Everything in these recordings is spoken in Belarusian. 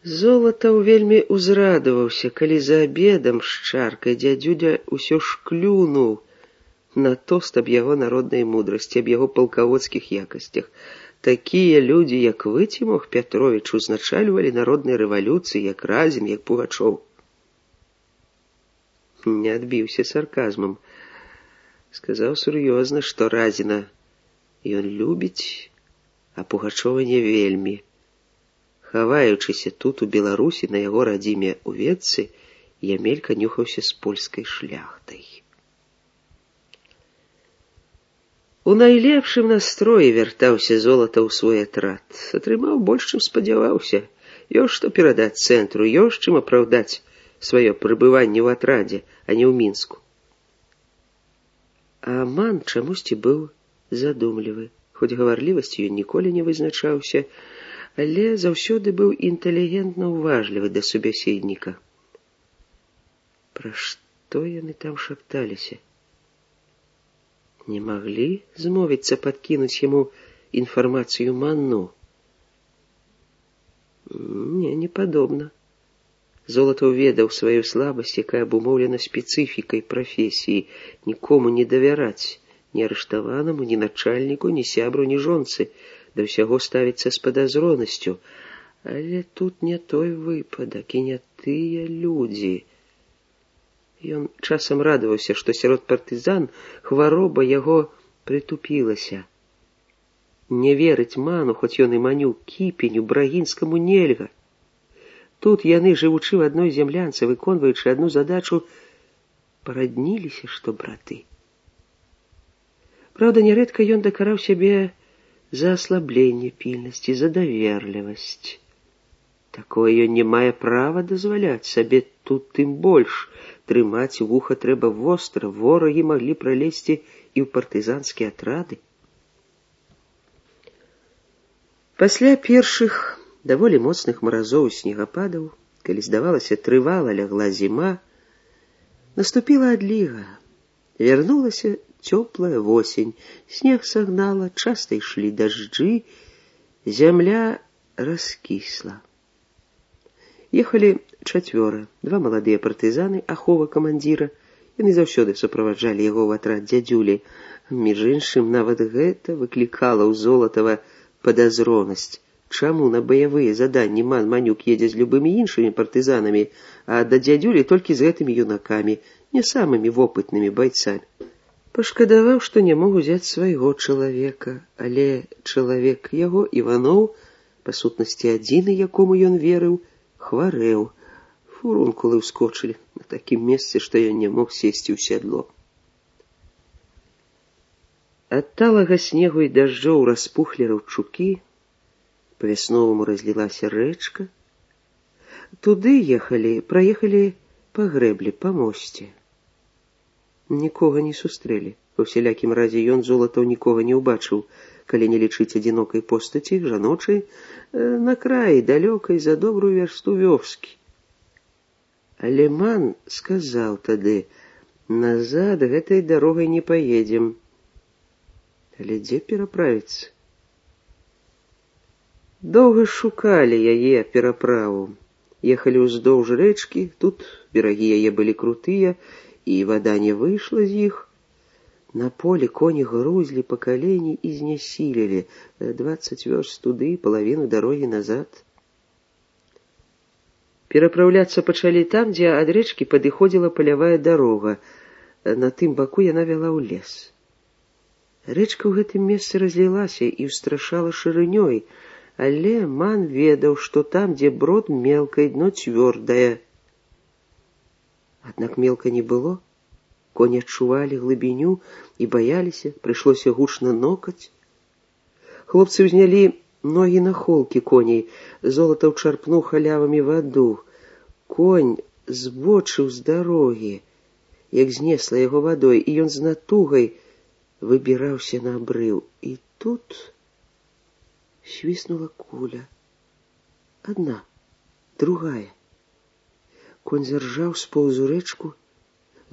Золатаў вельмі ўзрадаваўся, калі за абедам з чаркай дзядзюля ўсё ж клюнуў на тост аб яго народнай мудрасці, аб яго палкаводскіх якасцях. Такія людзі, як вы, Цімох Пятровіч, узначальвалі народнай рэвалюцыі, як Разін, як Пугачоў. Не адбіўся сарказмам. Сказаў сур'ёзна, што Разіна ён любіць, а Пугачова не вельмі. Хаваючыся тут, у Беларусі, на яго радзіме ў Ветцы, Ямелька нюхаўся з польскай шляхтай. У найлепшым настроі вяртаўся Золатаў у свой атрад. Атрымаў больш, чым спадзяваўся. Ёсць што перадаць цэнтру, ёсць чым апраўдаць сваё прыбыванне ў атрадзе, а не ў Мінску. А Ман чамусьці быў задумлівы. Хоць гаварлівасцю ён ніколі не вызначаўся, але заўсёды быў інтэлігентна ўважлівы да субяседніка. Пра што яны там шапталіся? Не маглі змовіцца падкінуць яму інфармацыю Манну? Не падобна. Золатаў ведаў сваю слабасць, якая абумоўлена спецыфікай прафесіі. Нікому не давяраць, ні арыштаванаму, ні начальніку, ні сябру, ні жонцы. Да ўсяго ставіцца з падазронасцю. Але тут не той выпадак і не тыя людзі. Ён часам радаваўся, што сярод партызан хвароба яго прытупілася. Не верыць Ману, хоць ён і маню Кіпеню, Брагінскаму, нельга. Тут яны, жывучы в адной зямлянцы, выконваючы адну задачу, парадніліся, што браты. Праўда, нярэдка ён дакараў сябе за аслабленне пільнасці, за даверлівасць. Такое ён не мае права дазваляць сабе, тут тым больш. Трымаць вуха трэба востра, ворагі маглі пралезці і ў партызанскія атрады. Пасля першых даволі моцных маразоў і снегападаў, калі, здавалася, трывала лягла зіма, наступіла адліга. Вярнулася цёплая восень, снег сагнала, часта ішлі дажджы, зямля раскісла. Ехалі чацвёра, два маладыя партызаны, ахова камандзіра. Яны заўсёды суправаджалі яго ў атрад дзядзюлі. Між іншым, нават гэта выклікала ў Золатава падазронасць. Чаму на баявыя заданні Ман Манюк едзе з любымі іншымі партызанамі, а да дзядзюлі толькі з гэтымі юнакамі, не самымі вопытнымі байцамі? Пашкадаваў, што не мог узяць свайго чалавека, але чалавек яго, Іваноў, па сутнасці адзіны, якому ён верыў, хварэў. Фурункулы ўскочылі на такім месцы, што ён не мог сесці ў сядло. Ад талага снегу і дажджоў распухлі раўчукі, па-вясноваму разлілася рэчка. Туды праехалі па грэблі, па мосце. Нікога не сустрэлі. Па ўсялякім разе ён, Золатаў, нікога не ўбачыў, калі не лічыць адзінокай постаці, жаночай, на краі далёкай за добрую вярсту вёскі. Але Ман сказаў тады: назад гэтай дарогай не паедзем. Але дзе пераправіцца? Доўга шукалі яе пераправу. Ехалі ўздоўж рэчкі, тут берагі яе былі крутыя, і вада не выйшла з іх. На полі коні грузлі па калені і знясілілі 20 вёрст туды, палавіну дарогі назад. Перапраўляцца пачалі там, дзе ад рэчкі падыходзіла палявая дарога. На тым баку яна вяла ў лес. Рэчка ў гэтым месцы разлілася і ўстрашала шырынёй, але Ман ведаў, што там, дзе брод мелкай, дно цвёрдае. Аднак мелка не было. Коні адчувалі глыбіню і баяліся, прыйшлося гучна нокаць. Хлопцы ўзнялі ногі на холкі коней. Золатаў чарпнуў халявамі ваду. Конь збочыў з дарогі, як знесла яго вадой, і ён з натугай выбіраўся на абрыў. І тут свіснула куля. Адна, другая. Конь заржаў, споўз у рэчку.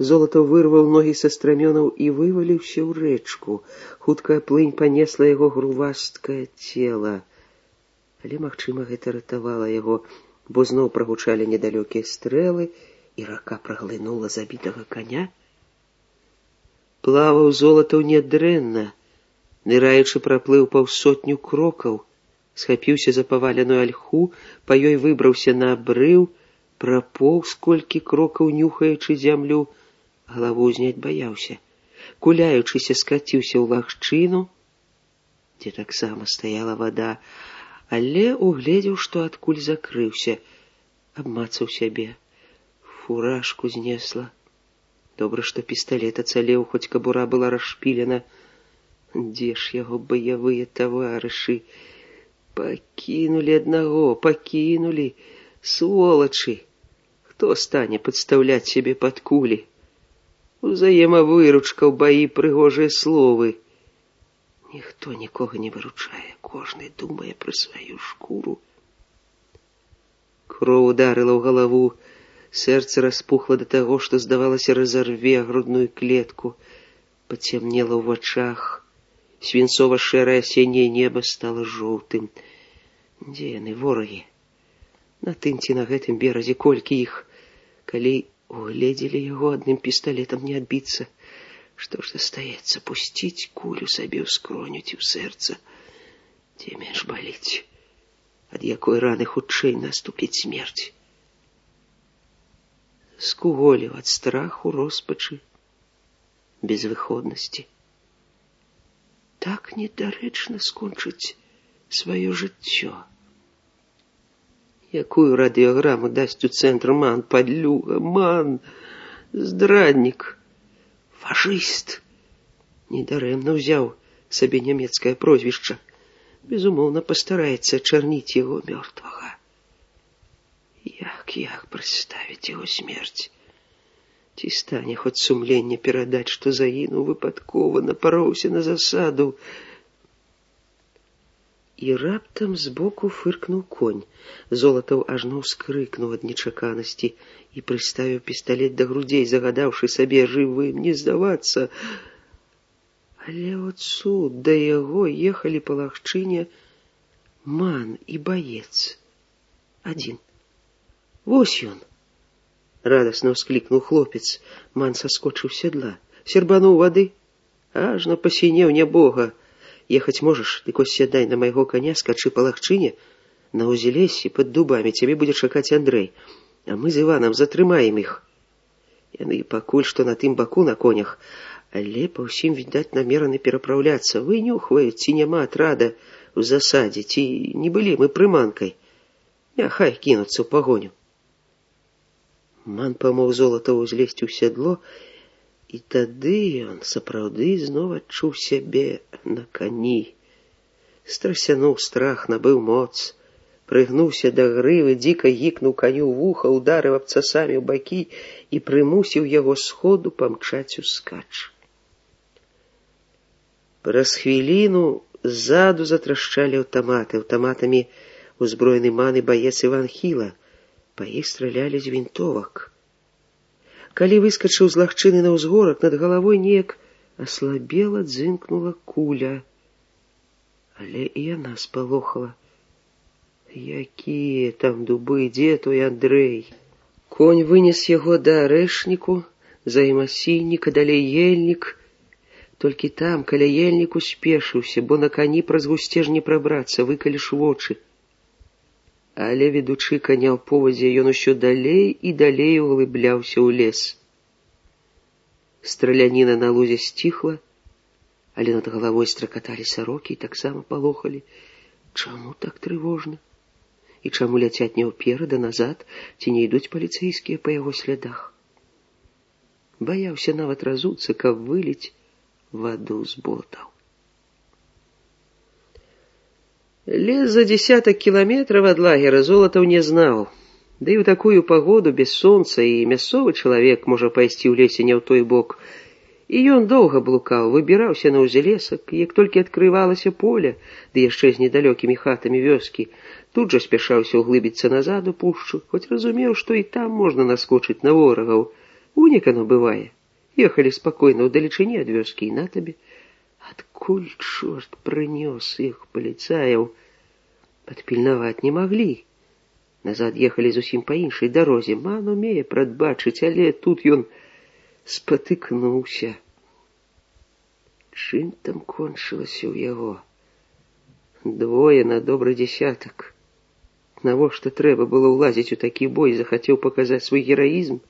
Золатаў вырваў ногі са страмёнаў і вываліўся ў рэчку. Хуткая плынь панесла яго грувасткае цела. Але, магчыма, гэта ратавала яго. бо зноў прагучалі недалёкія стрэлы, і рака праглынула забітага коня. Плаваў Золатаў нядрэнна, ныраючы праплыў паўсотню крокаў, схапіўся за паваленую альху, па ёй выбраўся на абрыў, прапоўз колькі крокаў, нюхаючы зямлю, галаву ўзняць баяўся, куляючыся скаціўся ў лагчыну, дзе таксама стаяла вада, але угледзеў, што адкуль закрыўся, абмацаў сябе, фуражку знесла. Добра, што пісталет ацалеў, хоць кабура была расшпілена. Дзе ж яго баявыя таварышы? Пакінулі аднаго, пакінулі, сволачы. Хто стане падстаўляць сябе пад кулі? Узаемавыручка ў баі прыгожыя словы. Ніхто нікога не выручае, кожны думае пра сваю шкуру. Кроў ударыла ў галаву, сэрца распухла да таго, што, здавалася, разарве грудную клетку, пацямнела ў вачах, свінцова-шэрае асенняе неба стала жоўтым. Дзе яны, ворагі? На тым ці на гэтым беразе колькі іх? Калі угледзелі яго, адным пісталетам не адбіцца. Што ж застаецца? Пусціць кулю сабе ў скроню ці ў сэрца? Дзе менш баліць? Ад якой раны хутчэй наступіць смерць? Скуголіў ад страху, роспачы, безвыходнасці. Так недарэчна скончыць сваё жыццё. Якую радыёграму дасць у цэнтр Ман, падлюга, Ман, здраднік, фашыст. Недарэмна ўзяў сабе нямецкае прозвішча. Безумоўна, пастараецца ачарніць яго мёртвага. Як прадставіць яго смерць? Ці стане хоць сумленне перадаць, што загінуў выпадкова, напароўся на засаду? І раптам збоку фыркнуў конь. Золатаў ажно ўскрыкнуў ад нечаканасці і прыставіў пісталет да грудзей, загадаўшы сабе жывым не здавацца. Але от цуд, да яго ехалі па лагчыне Ман і баец. Адзін. Вось ён! Радасна ўсклікнуў хлопец. Ман саскочыў з сядла, сербануў вады. Ажно пасінеў нябога. Ехаць можаш, дык ось сядай на майго коня, скачы па лагчыне, на узелесі пад дубамі цябе будзе чакаць Андрэй, а мы з Іванам затрымаем іх. Яны пакуль што на тым баку на конях, але па ўсім, відаць, намераны перапраўляцца, вынюхваюць, ці няма атрада ў засадзе, ці не былі мы прыманкай. Няхай кінуцца ў пагоню. Ман памог Золатаву узлезці ў сядло, і тады ён сапраўды зноў адчуў сябе на кані. Страсянуў страх, набыў моц, прыгнуўся да грывы, дзіка гікнуў каню ў вуха, ударыў абцасамі ў бакі і прымусіў яго сходу памчаць ускач. Праз хвіліну ззаду затрашчалі аўтаматы. Аўтаматамі узброены Ман і баец Іван Хіла. Па іх стралялі з вінтовак. Калі выскачыў з лагчыны на ўзгорак, над галавой неяк аслабела, дзынкнула куля. Але і яна спалохала. Якія там дубы, дзе той Андрэй? Конь вынес яго да арэшніку, за ім асіннік, а далей ельнік. Толькі там, каля ельніку, спешыўся, бо на кані праз гусцеж не прабрацца, выкаліш вочы. Але, ведучы коня ў повадзе, ён усё далей і далей углыбляўся ў лес. Страляніна на лузе сціхла, але над галавой стракаталі сарокі і таксама палохалі. Чаму так трывожна? І чаму ляцяць не ўперад, а назад, ці не ідуць паліцэйскія па яго слядах? Баяўся нават разуцца, каб выліць ваду з ботаў. Лес за 10 кіламетраў ад лагера Золатаў не знаў. Да і ў такую пагоду, без сонца, і мясцовы чалавек можа пайсці ў лесе не ў той бок. І ён доўга блукаў, выбіраўся на ўзлесак, як толькі адкрывалася поле, ды яшчэ з недалёкімі хатамі вёскі, тут жа спяшаўся ўглыбіцца назад у пушчу, хоць разумеў, што і там можна наскочыць на ворагаў. Унікано бывае. Ехалі спакойна ў далечыні ад вёскі, і на табе. Адкуль чорт прынёс іх паліцаяў? Падпільнаваць не маглі. Назад ехалі зусім па іншай дарозе. Ман умее прадбачыць, але тут ён спатыкнуўся. Чым там кончылася ў яго? Двое на добры дзясятак. Навошта трэба было ўлазіць у такі бой, захацеў паказаць свой гераізм?